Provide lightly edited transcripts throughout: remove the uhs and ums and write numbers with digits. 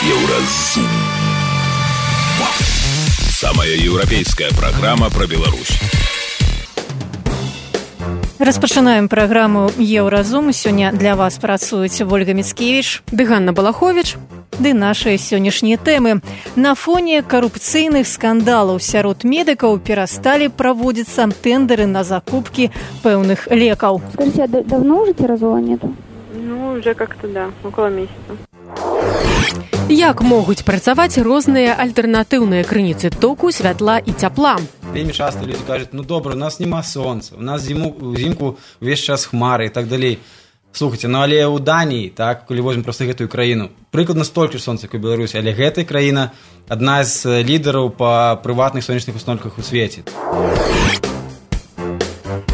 Еўразум. Самая еўрапейская праграма пра Беларусь. Распачынаем праграму «Еўразум». Сёння для вас працуюць Ольга Міцкевіч ды Ганна Балаховіч. Ды нашыя сённяшнія тэмы. На фоне карупцыйных скандалаў сярод медыкаў перасталі праводзіцца тэндеры на закупкі пэўных лекаў. Скажите, а давно уже тиразола нету? Ну, уже как-то, да, около месяца. Як могуць працаваць розныя альтэрнатыўныя крыніцы току, святла і цяпла? Вельмі часто люди кажуць, ну добра, у нас няма сонца, у нас зімку увесь час хмары і так далей. Слухайте, ну але ў Даніі, так, калі возьмем проста гэтую краіну, прыкладна столькі ж сонца, як у Беларусі, але гэтая краіна адна з лідараў па прыватных сонечных установках у свеце.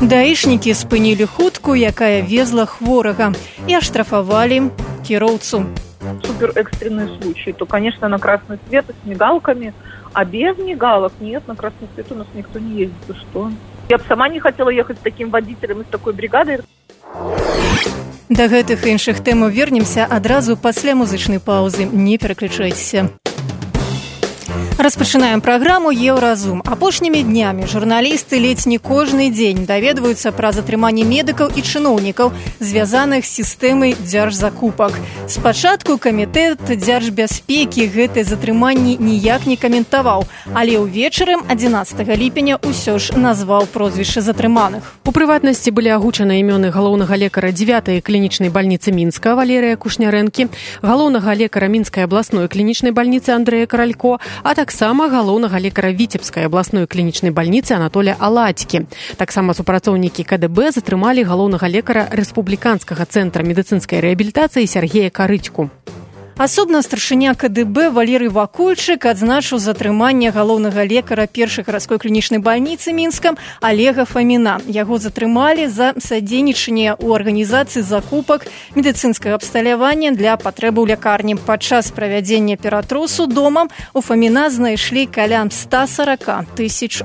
Даішнікі спынілі хутку, якая везла хворага, і аштрафавалі кіроўцу. Супер экстренный случай, то, конечно, на красный свет с мигалками, а без мигалок нет, на красный свет у нас никто не ездит. И что? Я бы сама не хотела ехать с таким водителем и с такой бригадой. Да гэтых і іншых тэмаў вернемся адразу пасля музычнай паўзы. Не пераключайцеся. Распачынаем праграму «Еўразум». Апошнімі днямі журналісты ледзь не кожны дзень даведваюцца пра затрыманне медыкаў і чыноўнікаў, звязаных з сістэмай дзяржзакупак. Спачатку камітэт дзяржбяспекі гэтае затрыманне ніяк не каментаваў, але ўвечары 11 ліпеня ўсё ж назваў прозвішчы затрыманых. У прыватнасці былі агучаны імёны галоўнага лекара 9-й клінічнай бальніцы Мінска Валерыя Кушнярэнкі, галоўнага лекара Мінскай абласной клінічнай бальніцы Андрэя Каралько, а таксама галоўнага лекара Віцебскай абласной клінічнай бальніцы Анатолія Аладзькі. Таксама супрацоўнікі КДБ затрымалі галоўнага лекара Рэспубліканскага цэнтра медыцынскай рэабілітацыі Сергея Карыцьку. Асобна старшыня КДБ Валерый Вакульчык адзначыў затрыманне галоўнага лекара першай гарадской клінічнай бальніцы Мінска Олега Фаміна. Яго затрымалі за садзейнічанне ў арганізацыі закупак медыцынскага абсталявання для патрэбаў лякарні. Падчас правядзення ператрусу домам у Фаміна знайшлі каля $140 тысяч.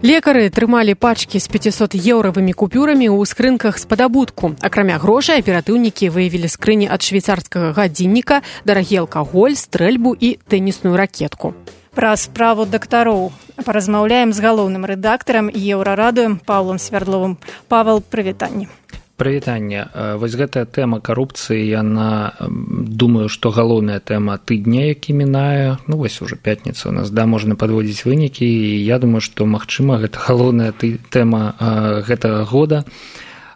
Лекары трымалі пачкі з 500-еўравымі купюрамі ў скрынках з-пад абутку. Акрамя грошай, аператыўнікі выявілі скрыні ад швейцарскага гадзінніка, дарагі алкаголь, стрэльбу і тэнісную ракетку. Пра справу дактароў паразмаўляем з галоўным рэдактарам Еўрарадыё Павлам Свярдловым. Павел, прывітанне. Прывітанне. Вось гэтая тэма карупцыі, яна, думаю, што галоўная тэма тыдня, які мінае. Ну, вось уже пятніца у нас, да, можна падводзіць вынікі, і я думаю, што, магчыма, гэта галоўная тэма гэтага года,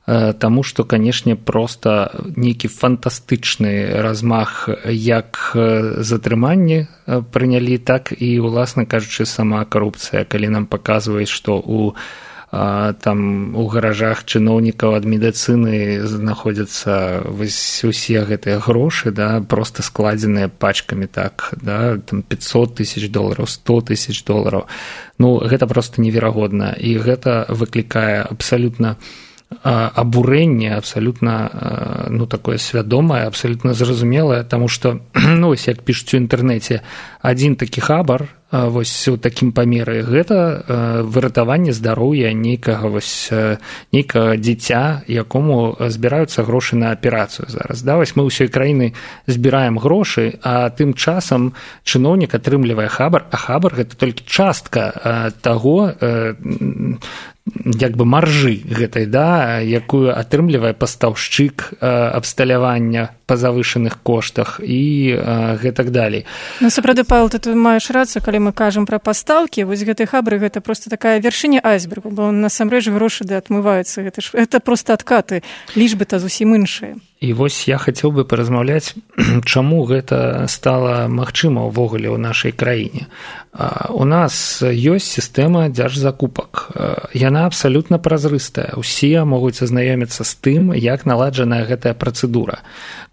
таму што, канешне, проста нейкі фантастычны размах як затрыманні прынялі, так і, уласна кажучы, сама карупцыя, калі нам паказваюць, што там у гаражах чыноўнікаў ад медыцыны знаходзяцца вось усе гэтыя грошы, да, проста складзеныя пачкамі, так, да, там $500 тысяч, $100 тысяч. Ну, гэта проста неверагодна, і гэта выклікае абсалютна абурэнне, абсалютна, ну, такое свядомае, абсалютна зразумелае, таму што, ну, вось як пішуць у інтэрнэце, адзін такі хабар, вось у такім памеры, гэта выратаванне здароўя нейкага дзіця, якому збіраюцца грошы на аперацыю зараз. Да, вось мы ўсёй краіны збіраем грошы, а тым часам чыноўнік атрымлівае хабар, а хабар гэта толькі частка таго, як бы маржы гэтай, да, якую атрымлівае пастаўшчык абсталявання па завышаных коштах і гэтак далей. Ну, сапраўды, Павел, ты маеш рацыю, калі мы кажам пра пастаўкі, вось гэты хабры, гэта проста такая вяршыня айсбергу, бо насамрэч грошы да адмываюцца, гэта проста адкаты, лічбы-то зусім іншыя. І вось я хацеў бы паразмаўляць, чаму гэта стала магчыма ўвогуле ў нашай краіне. У нас ёсць сістэма дзяржзакупак. Яна абсалютна празрыстая. Усе могуць азнаёміцца з тым, як наладжаная гэтая працэдура.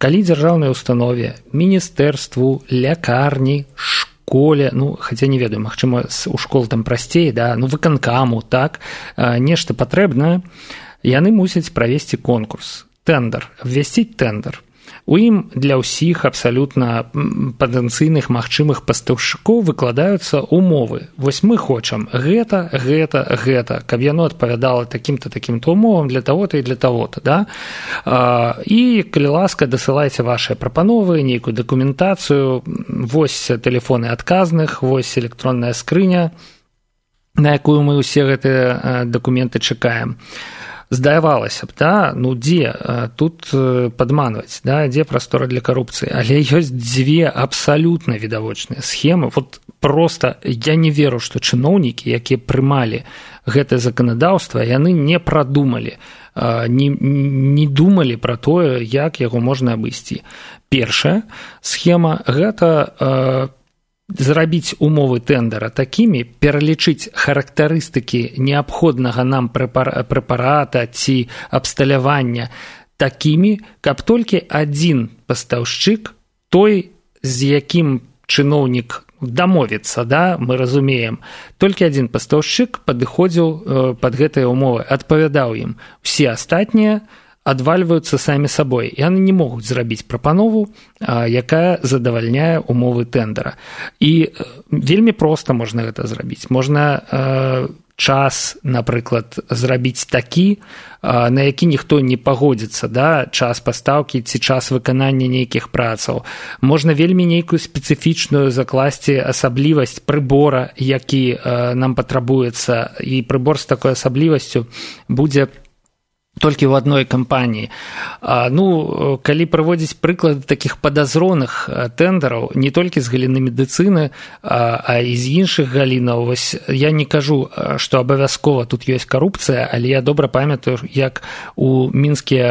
Калі дзяржаўнай установе, міністэрству, лякарні, школе, ну, хаця не ведаю, магчыма, у школ там прасцей, да, ну, выканкаму, так, нешта патрэбнае, яны мусяць правесці конкурс. Тендер, обвясціць тендер. у ім для ўсіх абсалютна патэнцыйных магчымых пастаўшчыкоў выкладаюцца умовы. Вось мы хочам гэта, каб яно адпавядала такім-то, такім-то умовам для таго-то і для таго-то, да? І, калі ласка, дасылайце вашыя прапановы, нейкую дакументацыю, вось тэлефоны адказных, вось электронная скрыня, на якую мы ўсе гэтыя дакументы чакаем. Здавалася б, да, ну дзе тут падманваць, да, дзе прастора для карупцыі, але ёсць дзве абсалютна відавочныя схемы. Вот просто я не веру, што чыноўнікі, якія прымалі гэтае заканадаўства, яны не прадумалі, не думалі пра тое, як яго можна абысці. Першая схема – гэта зрабіць умовы тэндара такімі, пералічыць характарыстыкі неабходнага нам прэпарата ці абсталявання такімі, каб толькі адзін пастаўшчык, той, з якім чыноўнік дамовіцца, да, мы разумеем, толькі адзін пастаўшчык падыходзіў пад гэтыя умовы, адпавядаў ім. Усе астатнія адвальваюцца самі сабой. Яны не могуць зрабіць прапанову, якая задавальняе умовы тэндара. І вельмі проста можна гэта зрабіць. Можна час, напрыклад, зрабіць такі, на які ніхто не пагодзіцца, да, час пастаўкі ці час выканання нейкіх працаў. Можна вельмі нейкую спецыфічную закласці асаблівасць прыбора, які нам патрабуецца, і прыбор з такой асаблівасцю будзе толькі ў адной кампаніі. Ну, калі прыводзіць прыклады такіх падазроных тэндараў, не толькі з галіны медыцыны, а і з іншых галінаў, вось я не кажу, што абавязкова тут ёсць карупцыя, але я добра памятаю, як у мінскі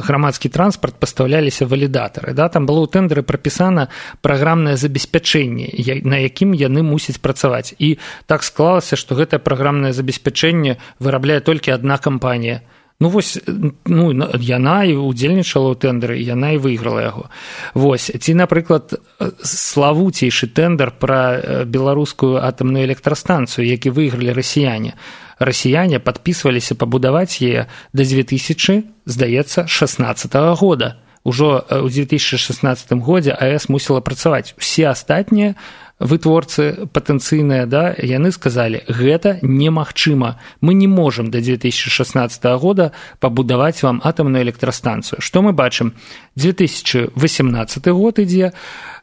грамадскі транспарт пастаўляліся валідатары. Да? Там было ў тэндары прапісана праграмнае забеспячэнне, на якім яны мусяць працаваць. І так склалася, што гэтае праграмнае забеспячэнне вырабляе толькі адна кампанія. Ну, вось, ну, яна і удзельнічала ў тэндары, і яна і выйграла яго. Вось, ці, напрыклад, славуцейшы тэндэр пра беларускую атамную электрастанцыю, які выйгралі расіяне. Расіяне падпісваліся пабудаваць яе да 2000, здаецца, 16-го года. Ужо ў 2016 годзе АЭС мусіла працаваць. Усе астатнія вытворцы патэнцыйныя, да, яны сказалі, гэта немагчыма. Мы не можам да 2016 года пабудаваць вам атамную электрастанцыю. Што мы бачым? 2018 год ідзе,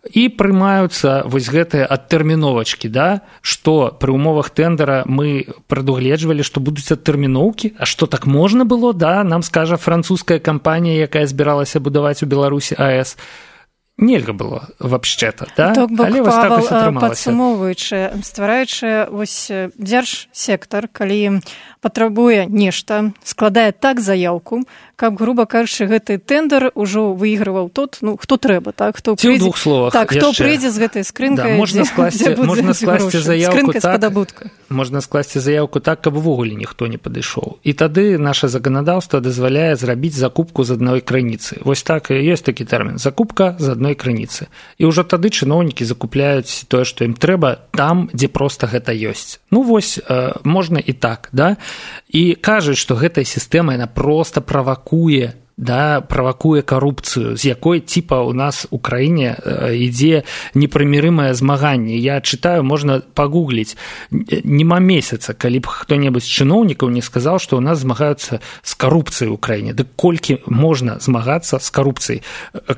і прымаюцца вось гэтыя адтэрміновачкі, да, што пры умовах тэндара мы прадугледжвалі, што будуць адтэрміноўкі, а што так можна было, да, нам скажа французская кампанія, якая збіралася будаваць у Беларусі АЭС. Нельга было вообще-то, да? Але вось так вось атрымалася. Падсумоўваючы, ствараючы вось дзяржсектар, калі патрабуе нешта, складае так заяўку, каб, груба кажучы, гэты тэндэр ужо выйгрываў тот, ну, хто трэба, так? Хто прыйдзе, ў двух словах. Так, хто прыйдзе з гэтай скрынкай, да, можна скласці заявку так, можна скласці заявку так, каб увогуле ніхто не падышоў. І тады наша заканадаўства дазваляе зрабіць закупку з адной крыніцы. Вось так і ёсць такі тэрмін. Закупка з адной крыніцы. І ўжо тады чыноўнікі закупляюць тое, што ім трэба там, дзе проста гэта ёсць. Ну, вось, можна і так, да? І кажуць, што гэтая сістэма, яна проста правакуе, да, правакуе карупцыю, з якой типа у нас у краіне ідзе непрымірымае змаганне. Я чытаю, можна пагугліць, нема месяца, калі б хто-небудзь з чыноўнікаў не сказаў, што у нас змагаюцца з карупцыяй у краіне. Дык колькі можна змагацца з карупцыяй?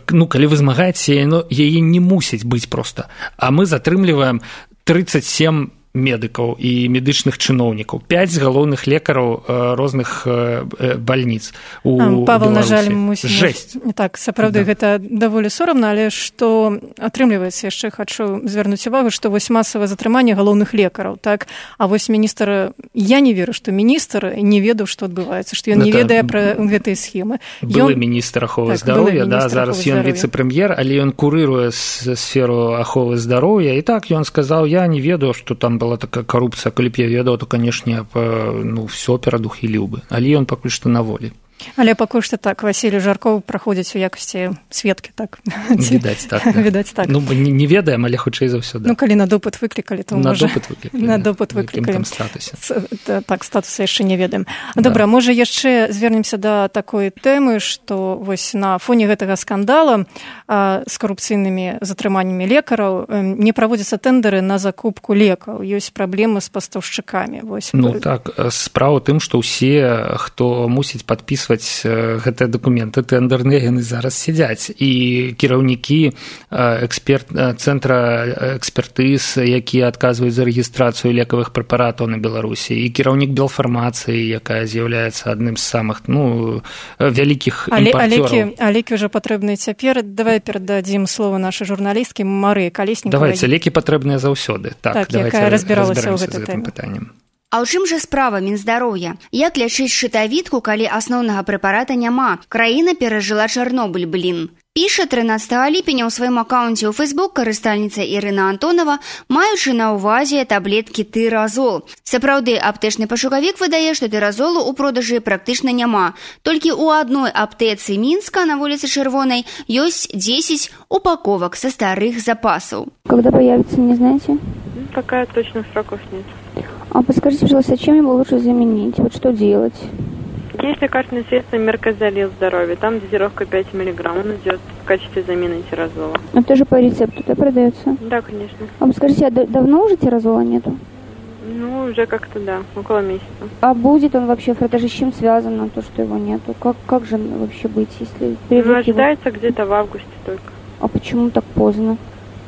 Ну, калі вы змагаецеся, яе не мусіць быць проста. А мы затрымліваем 37 медыкаў і медычных чыноўнікаў, 5 галоўных лекараў розных бальніц у Беларусі. Павел, на жаль, мусім... Жэсць. Так, сапраўды, да. Гэта даволі сорамна, але што атрымліваецца, яшчэ хачу звярнуць увагу, што вось масавае затрыманне галоўных лекараў, так? А вось міністр, я не веру, што міністр не ведаў, што адбываецца, што ён не ведае пра гэтыя схемы. Былы міністр аховы здароўя, да, зараз ён віцэ-прэм'ер, але ён курыруе сферу аховы здароўя, і так ён сказаў, я не ведаю, што там была такая карупцыя, калі б я ведаў, то, канешне, ну, все перадухіліў бы. Але ён пакуль што на волі. Але пакуль што так Васілій Жаркоў праходзіць у якасці сведкі, так? Відаць так. Ну, не ведаем, але хутчэй за ўсё, да. Ну, калі на допыт выклікалі, то можа... На допыт выклікалі. Так, статуса яшчэ не ведаем. Да. Добра, можа яшчэ звернемся да такой тэмы, што вось на фоне гэтага скандала з карупцыйнымі затрыманнямі лекараў не праводзяцца тэндары на закупку лекаў. Ёсць праблемы з пастаўшчыкамі. Ну так, справа ў тым, што ўсе, хто мусіць падпісваць гэтыя дакументы тэндерныя, яны зараз сядзяць, і кіраўнікі цэнтра экспертыз, якія адказваюць за рэгістрацыю лекавых прэпаратаў на Беларусі, і кіраўнік Белфармацыі, якая з'яўляецца адным з самых вялікіх імпарцёраў. А лекі ўжо патрэбныя цяпер. Давай перададзім слово нашай журналісткі Марыі Калеснікавай. Давайце, лекі патрэбныя заўсёды. Так, якая разбіралася ў гэтай тэме. А ў чым жа справа Мінздароўя? Як лячыць шчытавідку, калі асноўнага прэпарата няма? Краіна перажыла Чарнобыль, блін. Піша 13 ліпеня ў сваім акаунце ў Фейсбук карыстальніца Ірына Антонова, маючы на ўвазе таблеткі тыразол. Сапраўды, аптэчны пашукавік выдае, што тыразолу ў продажы практычна няма. Толькі ў адной аптэцы Мінска на вуліцы Чырвонай ёсць 10 упаковак са старых запасаў. Когда появится, не знаете? Пока точно сроков нет. А подскажите, пожалуйста, чем его лучше заменить? Вот что делать? Есть лекарственное средство Меркозалил здоровье. Там дозировка 5 мг. Он идет в качестве замены тиразола. Это тоже по рецепту, да, продается? Да, конечно. А подскажите, а давно уже тиразола нету? Ну, уже как-то, да, около месяца. А будет он вообще, это же с чем связано, то, что его нету? Как же вообще быть, если... Ожидается где-то в августе только. А почему так поздно?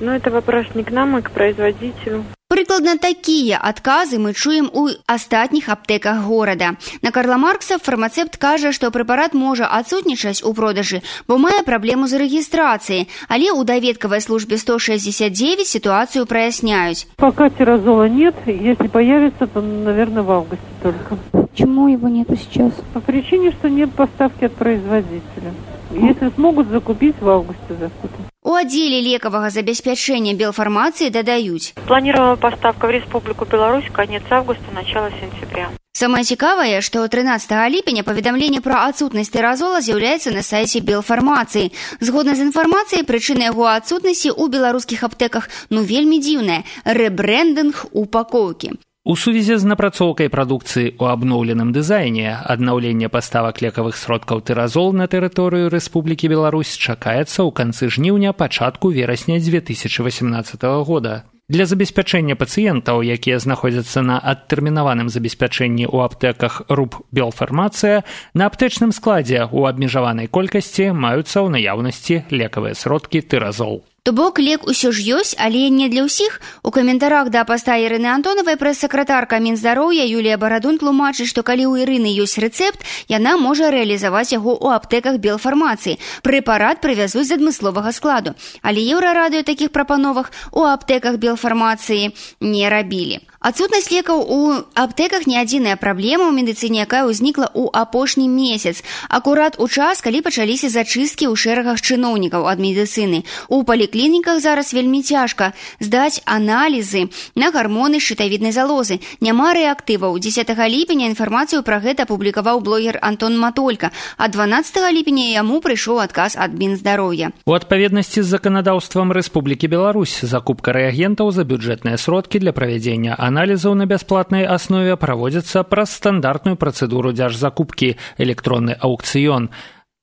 Ну, это вопрос не к нам, а к производителю. Прыкладна такія адказы мы чуем у астатніх аптэках горада. На Карла Маркса фармацэпт кажа, што прэпарат можа адсутнічаць у продажы, бо мае праблему з рэгістрацыяй, але ў даведкавай службе 169 ситуацию проясняюць. Пока тиразола нет, если появится, то, наверное, в августе только. Почему его нету сейчас? По причине, что нет поставки от производителя. Если смогут закупить, в августе закупят. У аддзеле лекавага забеспячэння Белфармацыі дадаюць. Планирована поставка в Республику Беларусь конец августа, начало сентября. Самае цікавае, што 13 ліпеня паведамленне пра адсутнасць тыразола з'яўляецца на сайце Белфармацыі. Згодна з інфармацыяй, прычына яго адсутнасці ў беларускіх аптэках вельмі дзіўная – рэбрэндынг упакоўкі. У сувязі з напрацоўкай прадукцыі ў абноўленым дызайне аднаўленне паставак лекавых сродкаў тыразол на тэрыторыю Рэспублікі Беларусь чакаецца ў канцы жніўня, пачатку верасня 2018 года. Для забеспячэння пацыентаў, якія знаходзяцца на адтэрмінаваным забеспячэнні ў аптэках РУП Белфармацыя, на аптэчным складзе ў абмежаванай колькасці маюцца ў наяўнасці лекавыя сродкі тыразол. То бок лек усё ж ёсць, але не для ўсіх. У каментарах да паста Ірыны Антонавай прэс-сакратарка Мінздароўя Юлія Барадун тлумачыць, што калі ў Ірыны ёсць рэцэпт, яна можа рэалізаваць яго ў аптэках Белфармацыі. Прэпарат прывязуць з адмысловага складу. Але Еўрарадыё такіх прапановах у аптэках Белфармацыі не рабілі. Адсутнасць лекаў у аптэках не адзіная праблема ў медыцыне, якая ўзнікла ў апошні месяц. Акурат у час, калі пачаліся зачысткі ў шэрагах чыноўнікаў ад медыцыны. У паліклініках зараз вельмі цяжка здаць аналізы на гармоны шчытавіднай залозы. Няма рэактываў. 10 ліпеня інфармацыю пра гэта апублікаваў блогер Антон Матолька, а 12 ліпеня яму прыйшоў адказ ад Мінздароўя. У адпаведнасці з заканадаўствам Рэспублікі Беларусь закупка рэагентаў за бюджэтныя сродкі для правядзення аналізаў на бясплатнай аснове праводзіцца праз стандартную працэдуру дзяржзакупкі электронны аўкцыён.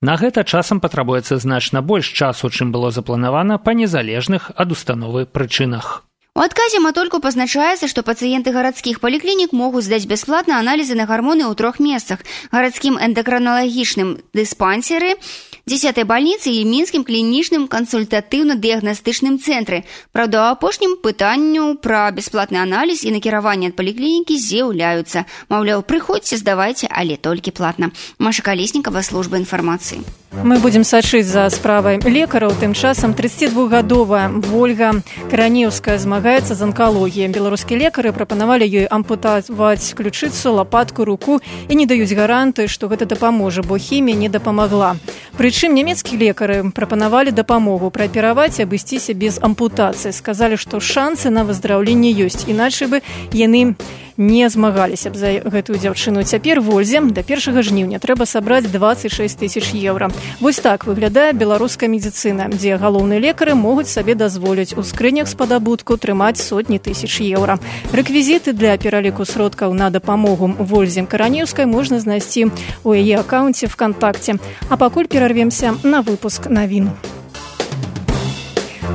На гэта часам патрабуецца значна больш часу, чым было запланавана па незалежных ад установы прычынах. У адказе Матольку пазначаецца, што пацыенты гарадскіх паліклінік могуць здаць бясплатна аналізы на гармоны ў 3 месцах – гарадскім эндакраналагічным дыспансеры, 10-й бальніцы і мінскім клінічным кансультатыўна-дыягнастычным цэнтры. Праўда, у апошнім пытанню пра бясплатны аналіз і накіраванне ад паліклінікі з'яўляюцца. Маўляў, прыходзьце, здавайце, але толькі платна. Маша Калеснікава, служба інфармацыі. Мы будзем сачыць за справай лекараў. Тым часам 32-гадовая Вольга Каранеўская змагаецца з анкалогіяй. Беларускія лекары прапанавалі ёй ампутаваць ключыцу, лапатку, руку і не даюць гарантыі, што гэта дапаможа, бо хімія не дапамагла. Прычым нямецкія лекары прапанавалі дапамогу праапераваць і абысціся без ампутацыі. Сказалі, што шансы на выздраўленне ёсць, іначай бы яны не змагаліся б за гэтую дзяўчыну. Цяпер Вользе да 1 жніўня трэба сабраць 26 000 еўра. Вось так выглядае беларуская медыцына, дзе галоўныя лекары могуць сабе дазволіць у скрынях з падабутку трымаць сотні тысяч еўра. Рэквізіты для пераліку сродкаў на дапамогу Вользе Каранеўскай можна знайсці ў яе акаунце ВКонтакте. А пакуль перарвемся на выпуск навін.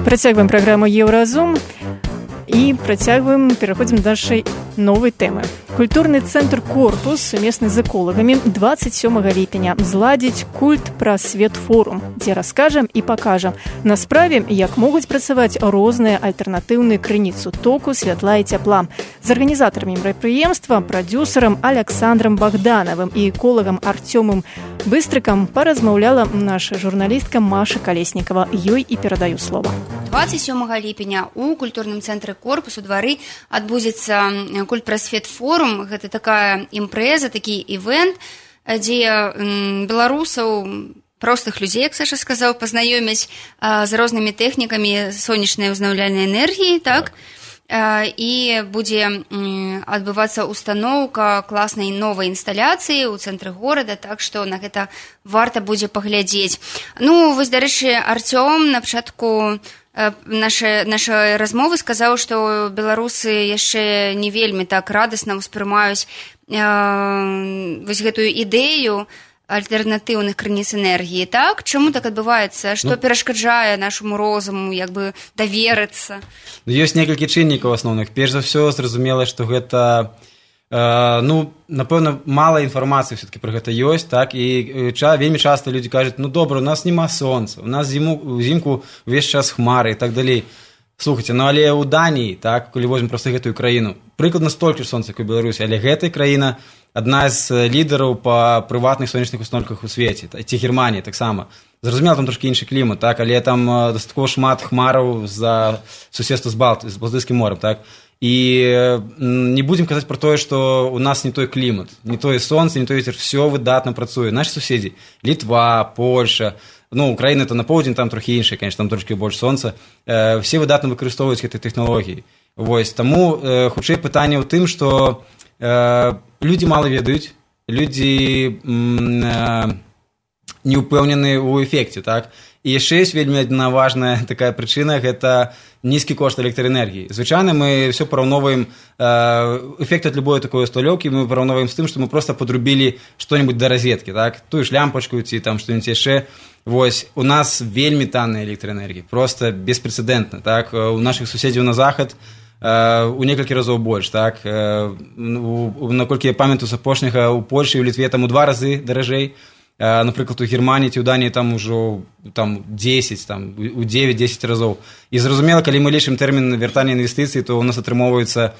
Працягваем праграму Еўразум і пераходзім да нашай новай тэмы. Культурны цэнтр «Корпус» сумесны з эколагамі 27 ліпеня зладзіць культ прасвет форум, дзе раскажам і пакажам на справе, як могуць працаваць розныя альтэрнатыўныя крыніцы току, святла і цяпла. З арганізатарамі мерапрыемства, прадзюсарам Александрам Богдановым і эколагам Артёмам Быстрыкам паразмаўляла наша журналістка Маша Калеснікава. Ёй і перадаю слова. 27 ліпеня у культурным цэнтры «Корпус» у двары адбудзецца культ прасвет форум. Гэта такая імпрэза, такі івент, дзе беларусаў, простых людзей, як Саша сказаў, пазнаёмяць з рознымі тэхнікамі сонечнай узнаўляльнай энергіі, так? І будзе адбывацца устаноўка класнай новай інсталяцыі ў цэнтры горада, так што на гэта варта будзе паглядзець. Ну, вось, дарэчы, Артём на пачатку нашай размовы сказаў, што беларусы яшчэ не вельмі так радасна ўспрымаюць вось гэтую ідэю альтэрнатыўных крыніц энергіі, так? Чаму так адбываецца? Што перашкаджае нашаму розуму як бы даверыцца? Ёсць некалькі чыннікаў асноўных. Перш за ўсё, зразумела, што гэта напэўна, мала інфармацыі все-таки пра гэта ёсць, так, і вельмі часта людзі кажуць, добра, у нас няма сонца, у нас зімку увесь час хмары і так далей. Слухайце, але ў Даніі, так, калі возьмем проста гэтую краіну, прыкладна столькі ж сонца, як у Беларусі, але гэтая краіна адна з лідараў па прыватных сонечных установках у свеце, ці Германія таксама. Зразумела, там трошкі іншы клімат, так, але там дастаткова шмат хмараў за суседства з Балтыйскім морем, так. І не будзем казаць пра тое, што у нас не той клімат, не тое сонца, не той вецер, все выдатна працуе. Нашы суседзі, Літва, Польша, Украіна то на поўдзень, там трохі іншая, конечно, там трошкі больш сонца, все выдатна выкарыстоўваюць гэтыя тэхналогіі. Вось, таму хутчэй пытанне ў тым, што людзі мала ведаюць, людзі не ўпэўнены ў эфекце, так? І яшчэ ёсць вельмі адна важная такая прычына, гэта нізкі кошт электраэнергіі. Звычайна мы все параўноўваем эфект ад любой такой усталёўкі, мы параўноўваем з тым, што мы проста падрубілі што-небудзь да розеткі, так? Тую ж лямпачку ці там што-небудзь яшчэ. Вось, у нас вельмі танная электраэнергія, проста беспрэцэдэнтна, так? У нашых суседзяў на захад у некалькі разоў больш, так? Наколькі я памятаю з апошняга, у Польшы і ў Літве там у 2 разы даражэй. Напрыклад, у Германії ці ў Даніі там ужо 10, у 9-10 разоў. І зразумела, калі мы лічым тэрмін вяртання інвестыцый, то у нас атрымоўваецца,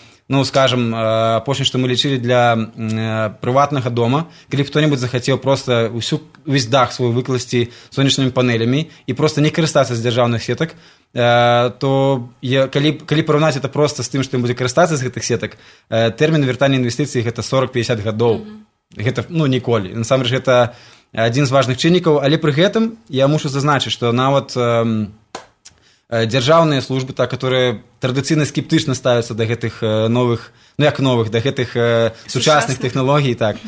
скажам, апошняе, што мы лічылі для прыватнага дома, калі хто-небудзь захацеў проста увесь дах свой выкласці сонечнымі панелямі і проста не карыстацца з дзяржаўных сетак, то калі параўнаць это проста з тым, што ён будзе карыстацца з гэтых сетак, тэрмін вяртання інвестыцый гэта 40-50 гадоў. Гэта, ніколі. Насамрэч, гэта адзін з важных чыннікаў, але пры гэтым я мушу зазначыць, што нават дзяржаўныя службы, которые традыцыйна скептычна ставяцца да гэтых новых, да гэтых сучасных тэхналогій, так,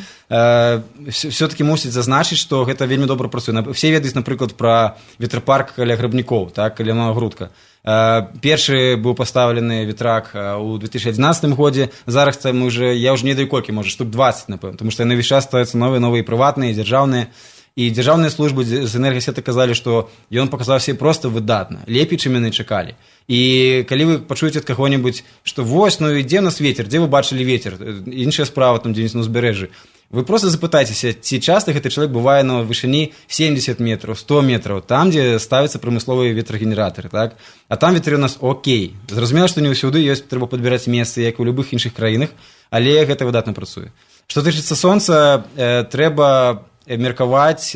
все-таки мусіць зазначыць, што гэта вельмі добра працуе. Все ведаюць, напрыклад, пра ветрапарк каля Грабнікоў, так, каля Новагрудка. Першы быў пастаўлены ветрак у 2011 годзе, зараз мы я ўжо не ведаю колькі, можа, штук 20, напэўна, тому што яны ўвесь час ставяцца новыя прыватныя, дзяржаўныя. І дзяржаўныя службы з энергасеты казалі, што ён паказаў себе проста выдатна, лепей, чым яны чакалі. І калі вы пачуеце ад каго-небудзь, што вось, ідзе ў нас вецер, дзе вы бачылі вецер, іншая справа там дзе-нибудь на ўзбярэжжы, вы проста запытайцеся, ці часта гэты чалавек бывае на вышыні 70 метраў, 100 метраў, там, дзе ставяцца прамысловыя ветрагенератары, так? А там ветры у нас окей. Зразумела, што не ўсюды трэба падбіраць месцы, як у любых іншых краінах, але гэта выдатна працуе. Што тычыцца сонца, трэба меркаваць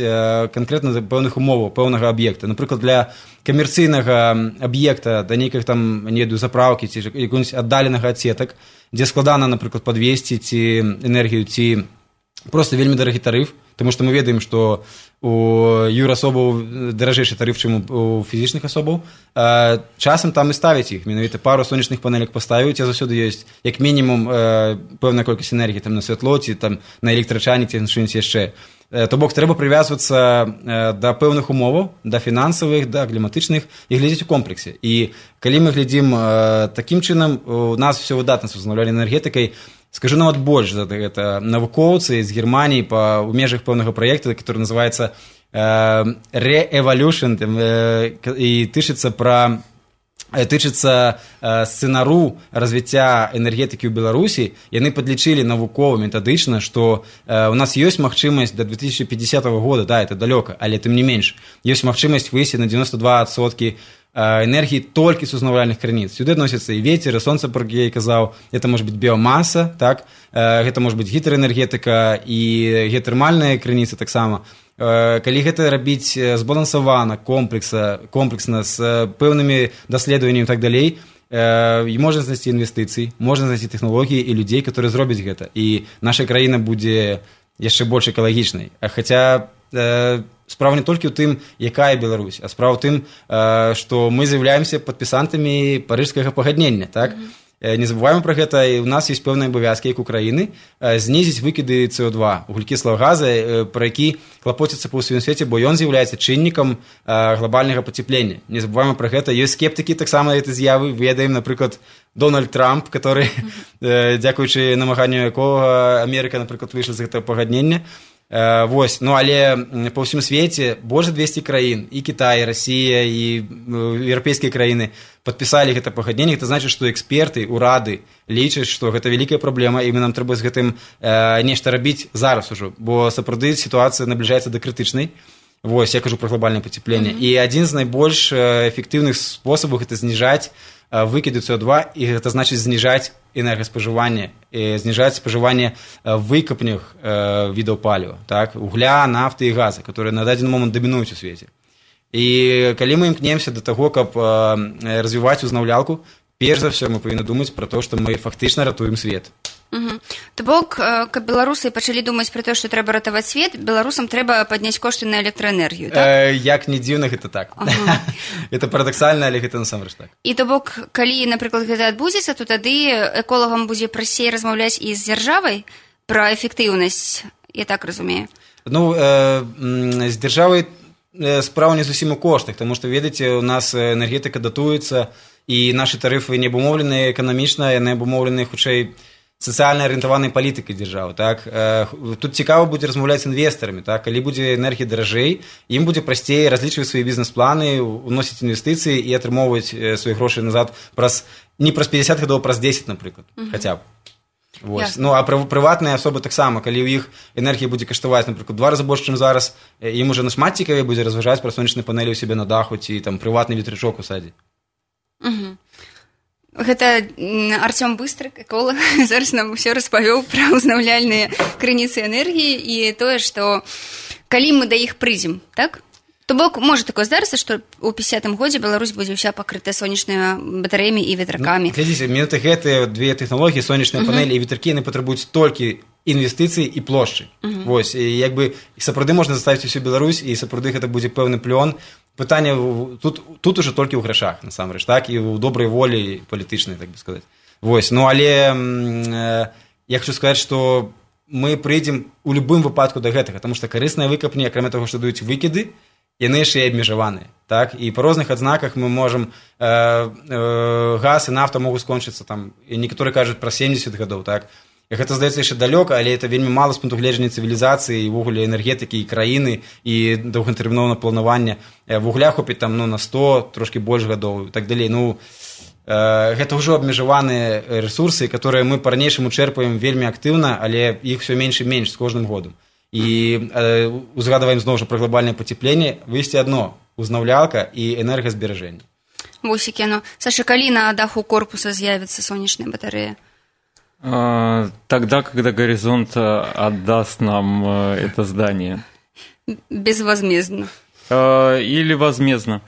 канкрэтна за пэўных умоваў, пэўнага аб'екта. Напрыклад, для камерцыйнага аб'екта, да нейкіх там, не ведаю, запраўкі ці якогось аддаленага ад сетак, дзе складана, напрыклад, падвесці ці энергію, ці просто вельмі дарагі тарыф, тому што мы ведаем, што у юрасобаў даражэйшы тарыф, чым у фізічных асобаў. Часам там і ставяць іх, менавіта пару сонечных панелек паставіць, а заўсёды ёсць як мінімум пэўная колькасць энергіі там на святло ці там на электрачайнік ці на што-небудзь яшчэ. То бок трэба прывязвацца да пэўных умоваў, да фінансавых, да кліматычных і глядзець у комплексе. І калі мы глядзім такім чынам, у нас все выдатна з узноўляльнай энергетыкай. Скажу нават больш за гэта. Навукоўцы з Германіі у межах пэўнага праекта, который называецца Re-Evolution, і тычыцца сцэнару развіцця энергетыкі ў Беларусі, яны падлічылі навукова метадычна, што у нас ёсць магчымасць да 2050 года, да, это далёка, але тым не менш, ёсць магчымасць выйсці на 92% энергии только с узнавальных крыніц. Сюда относятся и ветер, и солнце, про я казаў, это может быть биомасса, так? Это может быть гідраэнергетыка і геатэрмальныя крыніцы таксама. Калі гэта рабіць збалансавана, комплексна, з пэўнымі даследаваннямі і так далей, і можна знайсці інвестыцыі, можна знайсці тэхналогіі і людзей, которые зробяць гэта. І наша краіна будзе яшчэ больш экалагічнай. Хаця справа не толькі ў тым, якая Беларусь, а справа ў тым, што мы з'яўляемся падпісантамі парыжскага пагаднення, так? Не забываем пра гэта, і ў нас ёсць пэўныя абавязкі, як у краіны, знізіць выкіды СО2, вуглекіслага газа, пра які клапоціцца па ўсім свеце, бо ён з'яўляецца чыннікам глобальнага пацяплення. Не забываем пра гэта. Ёсць скептыкі таксама гэтай з'явы. Ведаем, напрыклад, Дональд Трамп, который, дзякуючы намаганню якога Амерыка, напрыклад, выйшла з гэтага пагаднення. Вось, ну, але па ўсім свеце больш 200 краін, і Кітай, і Расія, і еўрапейскія краіны падпісалі гэта пагадненне. Гэта значыць, што эксперты, урады лічаць, што гэта вялікая праблема, і нам трэба з гэтым нешта рабіць зараз ужо, бо сапраўды сітуацыя набліжаецца да крытычнай. Вось, я кажу пра глобальнае пацяпленне. І адзін з найбольш эфектыўных спосабаў гэта зніжаць выкіды СО2, і гэта значыць зніжаць энергаспажыванне, зніжаць спажыванне выкапных відаў паліва, так? Угля, нафты і газа, которые на дадзены момант дамінуюць у свеце. І калі мы імкнемся да таго, каб развіваць узнаўлялку, перш за ўсё мы павінны думаць пра то, што мы фактычна ратуем свет. То бок, каб беларусы пачалі думаць пра то, што трэба ратаваць свет, беларусам трэба падняць кошты на электраэнергію, так? Як не дзіўна, гэта так. Гэта парадаксальна, але гэта насамрэч так. І то бок, калі, напрыклад, гэта адбудзецца, то тады эколагам будзе прасцей размаўляць і з дзяржавай пра эфектыўнасць, я так разумею. Ну, з дзяржавай справа не зусім у коштах, таму што, ведаеце, у нас энергетыка датуецца, і нашы тарыфы не абумоўлены эканамічна, яны абумоўлены, хутчэй, сацыяльна арыентаванай палітыкай дзяржавы, так? Тут цікава будзе размаўляць з інвестарамі, так? Калі будзе энергія даражэй, ім будзе прасцей разлічваць свае бізнес-планы, уносіць інвестыцыі і атрымоўваць свае грошы назад не праз 50 гадоў, праз 10, напрыклад, хаця б. Вось. Ну, а прыватныя асобы таксама, калі ў іх энергія будзе каштаваць, напрыклад, 2 разы больш, чым зараз, ім уже нашмат цікавей будзе разважаць пра сонечныя панелі ў сябе на даху ці там прыватны ветрячок у садзе. Гэта Артём Быстрык, эколог, зараз нам усё распавёў пра ўзнаўляльныя крыніцы энергіі і тое, што калі мы да іх прыйдзем, так? То бок, можа такое здарыцца, што ў 50-м годзе Беларусь будзе ўся пакрытая сонечнымі батарэямі і ветракамі. Глядзіце, менавіта гэтыя две тэхналогіі, сонечныя панелі і ветракі, яны патрабуюць толькі інвестыцыі і плошчы. Вось, і як бы сапраўды можна заставіць усю Беларусь, і сапраўды гэта будзе пэўны плён. Пытанне тут уже толькі ў грашах, насамрэч, так, і ў добрай волі палітычнай, так бы сказаць. Вось, ну, але я хочу сказаць, што мы прыйдзем у любым выпадку да гэтага, таму што карысныя выкапні, акрамя таго, што даюць выкіды, яны яшчэ і абмежаваныя, так, і па розных адзнаках мы можам газ і нафта могуць скончыцца там, і некаторыя кажуць пра 70 гадоў, так. Гэта здаецца яшчэ далёка, але это вельмі мала з пункту гледжання цывілізацыі і ўвогуле энергетыкі і краіны і доўгатэрміновага планавання. Вугля хопіць там, ну, на 100, трошкі больш гадоў і так далей. Ну, гэта ўжо абмежаваныя рэсурсы, которые мы па-ранейшаму чэрпаем вельмі актыўна, але іх усё менш і менш з кожным годам. І узгадваем зноў жа пра глобальнае пацяпленне, выйсці адно узнаўлялка і энергазберажэнне. Вусікі, ну, Саша, калі на даху корпуса з'явіцца сонечная батарэя? Тогда, когда горизонт отдаст нам это здание. Безвозмездно. Или возмездно.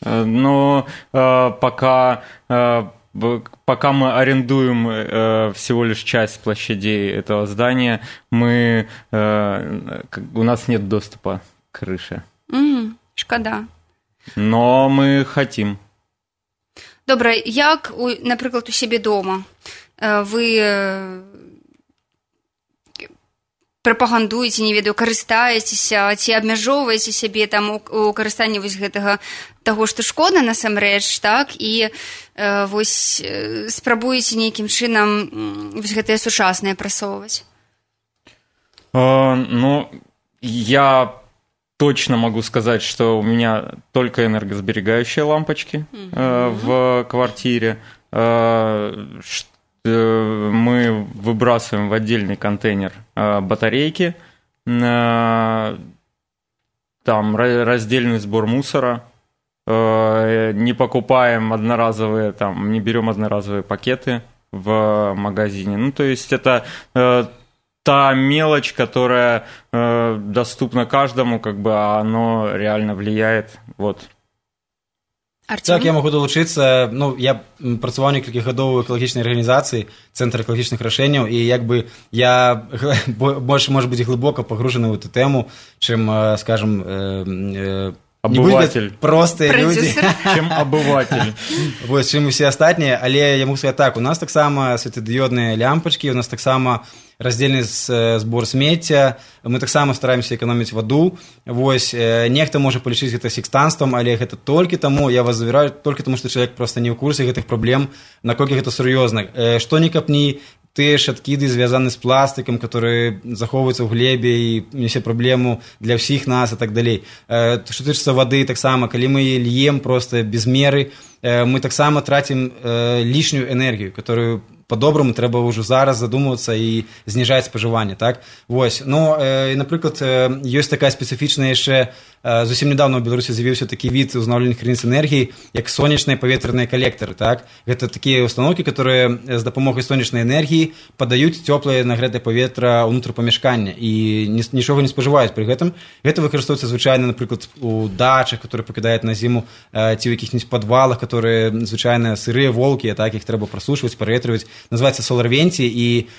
Но пока пока мы арендуем всего лишь часть площадей этого здания, у нас нет доступа к крыше. Шкода. Но мы хотим. Добра, як, наприклад, у себе дома вы прапагандуеце, не ведаю, карыстаецеся ці абмяжоўваеце сябе там у карыстанні вось гэтага таго, што шкода насамрэч, так, і вось спрабуеце нейкім чынам вось гэтае сучаснае прасоўваць? Ну, я точно могу сказать, что у меня только энергосберегающие лампочки в квартире. Мы выбрасываем в отдельный контейнер батарейки, там раздельный сбор мусора, не покупаем одноразовые, там, не берем одноразовые пакеты в магазине. Ну, то есть это та мелочь, которая доступна каждому, как бы, а оно реально влияет. Вот. Артем? Так, я могу долучыцца. Ну, я працаваў некалькі гадоў у экалагічнай арганізацыі, цэнтр экалагічных рашэнняў, і як бы я больше, может быть, глыбока пагружаны ў эту тэму, чым, скажем, обыватель. Простыя людзі, чым абыватель. Вось, чым усе астатнія, але я могу сказаць так, у нас таксама светадыёдныя лямпачкі, у нас таксама раздзельны збор смецця, мы таксама стараемся эканоміць ваду. Вось, нехта можа палічыць гэта секстанствам, але гэта толькі таму, я вас завяраю, толькі таму, што чалавек проста не ў курсе гэтых праблем, наколькі гэта сур'ёзна. Што ні капні, тыя ж адкіды звязаны з пластыкам, которые захоўваюцца ў глебе і несе праблему для ўсіх нас і так далей. Што тычыцца вады, таксама, калі мы льем просто без меры, мы таксама трацім лішнюю энергію, которую по-доброму трэба ўжо зараз задумвацца і зніжаць спажыванне, так? Вось. Ну, і, напрыклад, ёсць такая спецыфічная яшчэ, зусім недавно ў Беларусі з'явіўся такі від узнаўленых крыніц энергіі, як сонечныя паветраныя калектары, так? Гэта такія установкі, которые з дапамогай сонечнай энергіі падаюць цёплае нагрэтае паветра ўнутр памяшкання і нічога не спажываюць пры гэтым. Гэта выкарыстоўваецца звычайна, напрыклад, у дачах, которые пакідаюць на зіму, ці ў якіх-нибудь падвалах, которые звычайна сырыя волкі, так, іх трэба прасушваць, праветрываць. Называецца соларвенці, і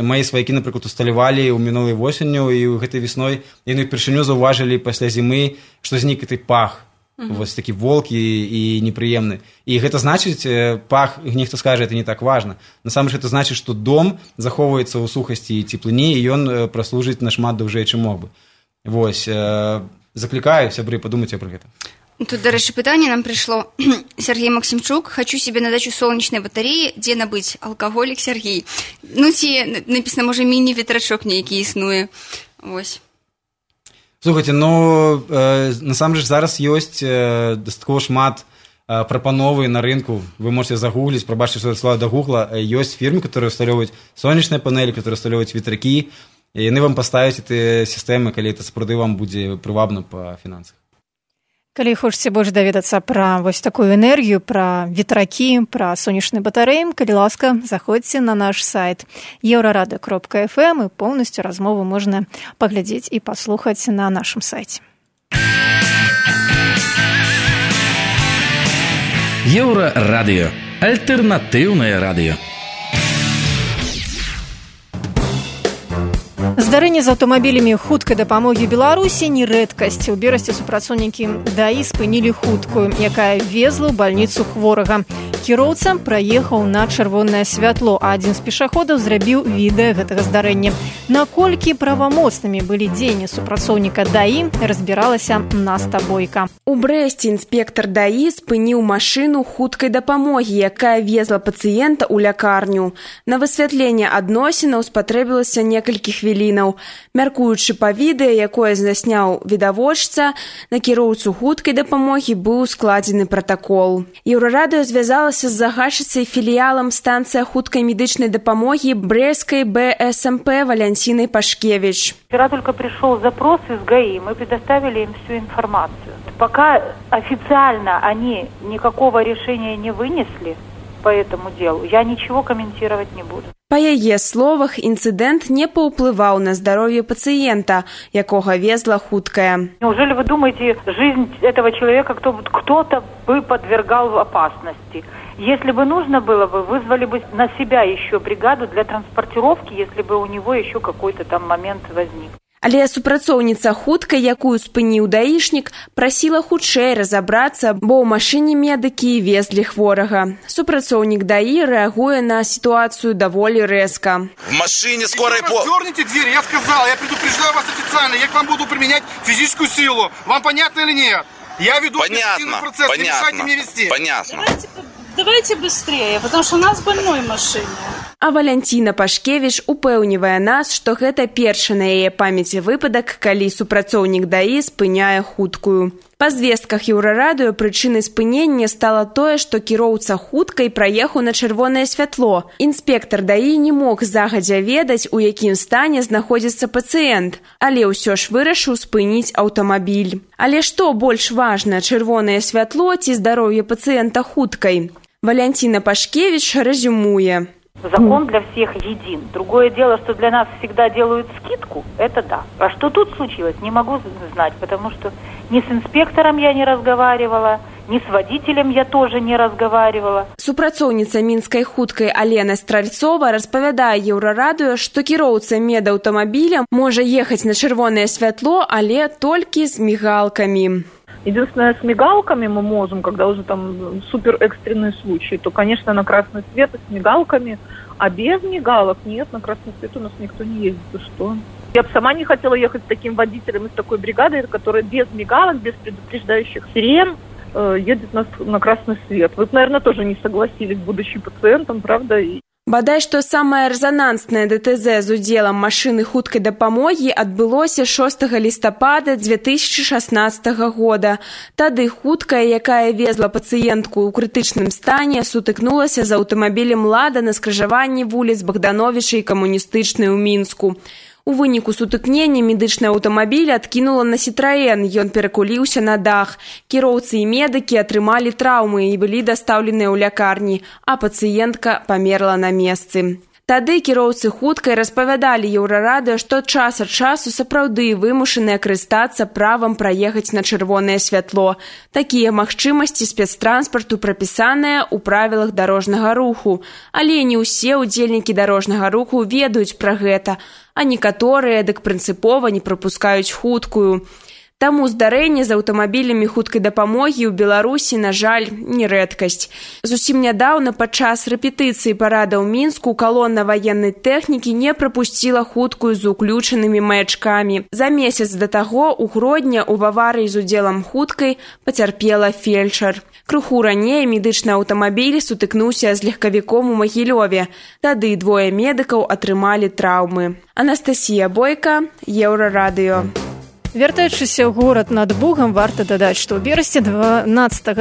мои сваякі, напрыклад, усталявалі ў мінулай восенню і ў гэтай весной, яны ўпершыню заўважылі пасля зімы, што знік гэты пах, вось такі волкі і непрыемны. І гэта значыць, пах, нехто скажа, это не так важна. Насамрэч гэта значыць, што дом захоўваецца ў сухасці і цеплыні, і ён праслужыць нашмат даўжэй, чым мог бы. Вось, заклікаю, сябры, падумайце пра гэта. Тут, до речі, питання нам прийшло. Сергій Максимчук, хочу себе на дачу солнечной батареи, где набыть? Алкоголик Сергій. Ну, ці, написано, може, міні-вітрачок нейкий існує. Ось. Слухайте, ну, насамрэч зараз ёсць дастаткова шмат прапановы на рынку. Вы можете загуглить, пробачьте, что это слово до гугла. Есть фирмы, которые устанавливают солнечные панели, которые устанавливают ветряки, и они вам поставят эти системы, когда это сапраўды вам будет прывабна по финансах. Калі хочаце больш даведацца пра вось такую энергію, пра ветракі, пра сонечныя батарэі, калі ласка, заходзьце на наш сайт eurorado.fm, і поўнасцю размову можна паглядзець і паслухаць на нашым сайце. Еўрарадыё. Альтэрнатыўнае радыё. Здарэнне з аўтамабілямі хуткай дапамогі Беларусі не рэдкасць. У Берасці супрацоўнікі ДАІ спынілі хуткую, якая везла ў бальніцу хворага. Кіроўца праехаў на чырвонае святло, а адзін з пешаходаў зрабіў відэа гэтага здарэння. Наколькі правамоцнымі былі дзеянні супрацоўніка ДАІ, разбіралася Наста Бойка. У Брэсце інспектар ДАІ спыніў машыну хуткай дапамогі, якая везла пацыента ў лякарню. На высвятленне адносінаў спатрэбілася некалькі хвілінаў. Мяркуючы па відэа, якое засняў відавочца, на кіроўцу хуткай дапамогі быў складзены пратакол. Еўрарадыё звязалася з загадчыцай філіялам станцыя хуткай медычнай дапамогі Брестской БСМП Валентиной Пашкевич. Вчера только пришел запрос из ГАИ, мы предоставили им всю информацию. Пока официально они никакого решения не вынесли по этому делу, я ничего комментировать не буду. Па яе словах, інцыдэнт не паўплываў на здароўе пацыента, якога везла хуткая. Неужели вы думаете, жизнь этого человека кто-то бы подвергал опасности? Если бы нужно было бы, вызвали бы на себя еще бригаду для транспортировки, если бы у него еще какой-то там момент возник. Але супрацоўніца хуткай, якую спыніў даішнік, прасіла хутчэй разабрацца, бо ў машыне медыкі везлі хворага. Супрацоўнік ДАИ рэагуе на ситуацию довольно резко. В машине скорой помощи. Дерните дверь, я сказал, я предупреждаю вас официально, я к вам буду применять физическую силу. Вам понятно или нет? Я веду административный процесс, не мешайте мне вести. Понятно. Давайте быстрее, потому что у нас больной в машине. А Валянціна Пашкевіч упэўнівае нас, што гэта першы на яе памяці выпадак, калі супрацоўнік ДАИ спыняе хуткую. Па звестках Еўрарадыё прычынай спынення стала тое, што кіроўца хуткай праехаў на чырвонае святло. Інспектар ДАИ не мог загадзя ведаць, у якім стане знаходзіцца пацыент, але ўсё ж вырашыў спыніць аўтамабіль. Але што больш важна, чырвонае святло ці здароўе пацыента хуткай? Валянціна Пашкевіч резюмуе. Закон для всех един. Другое дело, что для нас всегда делают скидку, это да. А что тут случилось, не могу знать, потому что ни с инспектором я не разговаривала, ни с водителем я тоже не разговаривала. Супрацоўніца мінскай хуткай Алена Стральцова распавядае Еўрарадыё, што кіроўца медаўтамабіля можа ехаць на чырвонае святло, але толькі з мигалками. Единственное, с мигалками мы можем, когда уже там супер экстренные случаи, то, конечно, на красный свет и с мигалками, а без мигалок нет, на красный свет у нас никто не ездит, и что? Я бы сама не хотела ехать с таким водителем и с такой бригадой, которая без мигалок, без предупреждающих сирен едет на красный свет. Вы, наверное, тоже не согласились, будучи пациентом, правда? Бадай што самае рэзананснае ДТЗ з удзелам машыны хуткай дапамогі адбылося 6 лістапада 2016 года. Тады хуткая, якая везла пацыентку ў крытычным стане, сутыкнулася з аўтамабілем «Лада» на скрыжаванні вуліц Богдановича і Камуністычнай у Мінску. У выніку сутыкнення медычны аўтамабіль адкінула на «Сітраэн», ён перакуліўся на дах. Кіроўцы і медыкі атрымалі траўмы і былі дастаўленыя ў лякарні, а пацыентка памерла на месцы. Тады кіроўцы хуткай распавядалі Еўрарадыё, што час ад часу сапраўды вымушаныя карыстацца правам праехаць на чырвонае святло. Такія магчымасці спецтранспарту прапісаныя ў правілах дарожнага руху. Але не ўсе ўдзельнікі дарожнага руху ведаюць пра гэта, а некаторыя дык прынцыпова не прапускаюць хуткую. Таму здарэнне з аўтамабілямі хуткай дапамогі ў Беларусі, на жаль, не рэдкасць. Зусім нядаўна падчас рэпетыцыі парада ў Мінску калона ваеннай тэхнікі не прапусціла хуткую з уключанымі маячкамі. За месяц да таго у Гродні ў аварыі з удзелам хуткай пацярпела фельчар. Крыху раней медычны аўтамабіль сутыкнуўся з легкавіком у Магілёве. Тады двое медыкаў атрымалі траўмы. Анастасія Бойка, Еўрарадыё. Вяртаючыся ў горад над Бугам, варта дадаць, што ў берасці 12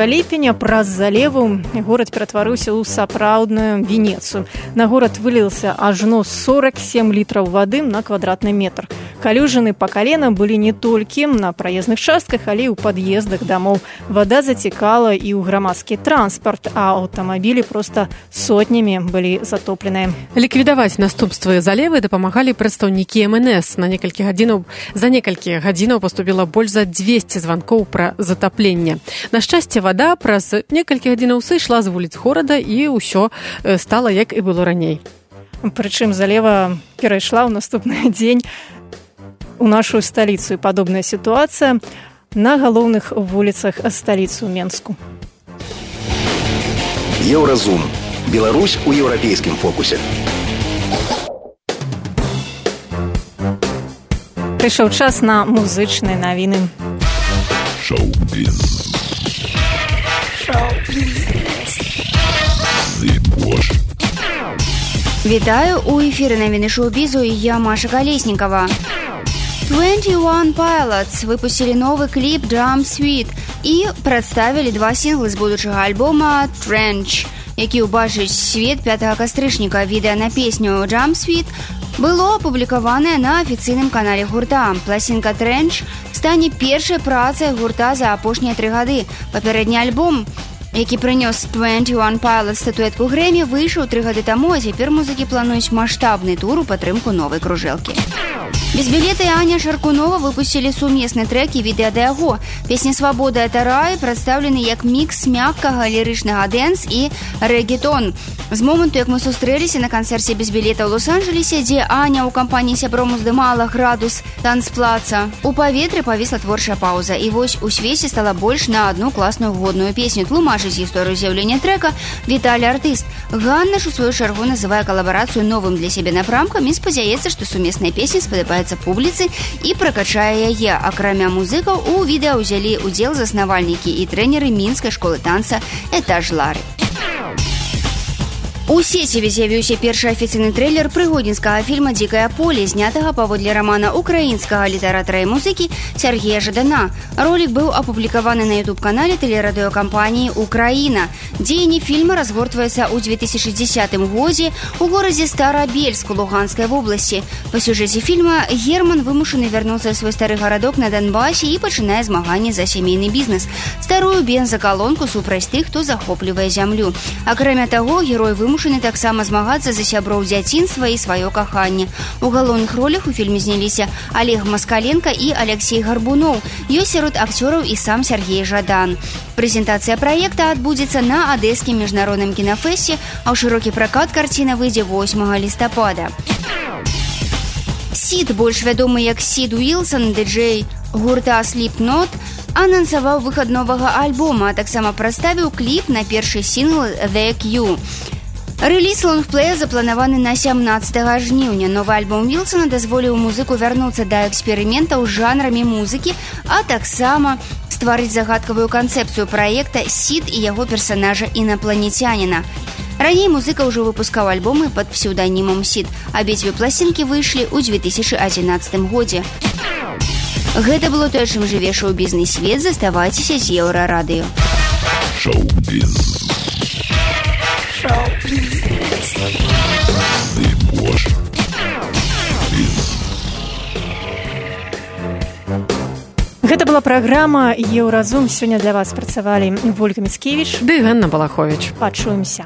ліпеня праз залеву горад ператварыўся ў сапраўдную Венецыю. На горад вылілася ажно 47 літраў вады на квадратны метр. Калюжыны па калена былі не толькі на праездных частках, але і ў пад'ездах дамоў. Вада зацікала і ў грамадскі транспарт, а аўтамабілі проста сотнямі былі затопленыя. Ліквідаваць наступствы залевы дапамагалі прадстаўнікі МНС. За некалькі гадзінаў паступіла больш за 200 званкоў пра затапленне. На шчасце, вада праз некалькі гадзінаў сышла з вуліц горада і ўсё стала, як і было раней. Прычым залева перайшла ў наступны дзень у нашу сталіцу. І падобная сітуацыя на галоўных вуліцах сталіцы ў Менску. Еўразум. Беларусь у еўрапейскім фокусе. Прыйшоў час на музычныя навіны. Шоу-біз. Вітаю, у эфіры навіны шоу-бізу і я, Маша Колеснікова. 21 Pilots выпусцілі новы кліп «Drum Suite» і прадставілі 2 сінглы з будучага альбома «Trench», які ўбачыць свет 5 кастрычніка. Відэа на песню «Drum Suite» было апублікаванае на афіцыйным канале гурта. Пласінка «Trench» стане першай працай гурта за апошнія 3 гады. Папярэдні альбом які прынёс 21 Pilots статуэтку Грэмі, выйшаў 3 гады таму, а цяпер музыкі плануюць маштабны тур у падтрымку новай кружэлкі. Безбілета і Аня Шаркунова выпусцілі сумесны трэк і відэа да яго. Песня «Свабода – это рай» прадстаўлены як мікс мяккага лірычнага дэнс і рэгетон. З моманту, як мы сустрэліся на канцэрце «Безбілета» ў Лос-Анджелесе, дзе Аня ў кампаніі сяброў здымала градус танцплаца, у паветры павісла творчая паўза. І вось у свеце стала больш на одну класную годную песню. Тлумачыць гісторыю з'яўлення трэка Віталій Артыст. Ганна ж у сваю чаргу называе калабарацыю новым для сябе напрамкам і спадзяецца, што сумесная песня спадабаецца публіцы і пракачае яе. Акрамя музыкаў, у відэа ўзялі удзел заснавальнікі і трэнеры мінскай школы танца «Этаж Лары». У сеціве з'явіўся першы афіцыйны трэйлер прыгодніцкага фільма «Дзікае поле», знятага паводле рамана украінскага літаратара і музыкі Сергея Жадана. Ролік быў апублікаваны на YouTube-канале тэлерадыёкампаніі «Украіна». Дзеянне фільма разгортваецца ў 2010 годзе ў горадзе Старабельск у Луганскай вобласці. Па сюжэце фільма Герман вымушаны вярнуцца ў свой стары гарадок на Донбасе і пачынае змаганне за сямейны бізнес. Старую бензакалонку супраць тых, хто захоплівае зямлю. Акрамя таго, герой вымушаны таксама змагацца за сяброў дзяцінства і сваё каханне. У галоўных ролях у фільме зняліся Олег Маскаленко і Алексей Гарбуноў. Ёсць сярод акцёраў і сам Сергей Жадан. Прэзентацыя праекта адбудзецца на Адэскім міжнародным кінафэсце, а ў шырокі пракат карціна выйдзе 8 лістапада. Сід, больш вядомы як Сід Уілсон, дыджэй гурта Slipknot, анансаваў выхад новага альбома, а таксама прадставіў кліп на першы сінгл «The Q». Рэліз лонгплея запланаваны на 17 жніўня. Новы альбом Уілсона дазволіў музыку вярнуцца да эксперыментаў з жанрамі музыкі, а таксама стварыць загадкавую канцэпцыю праекта «Сід» і яго персанажа інапланецяніна. Раней музыка ўжо выпускаў альбомы пад псеўданімам «Сід». Абедзве пласцінкі выйшлі ў 2011 годзе. Гэта было тое, чым жыве шоу-бізнес-свет. Заставайцеся з Еўрарадыё. Шоу-біз. Гэта была праграма «Еўразум». Сёння для вас працавалі Вольга Міцкевіч ды Ганна Балаховіч. Пачуемся.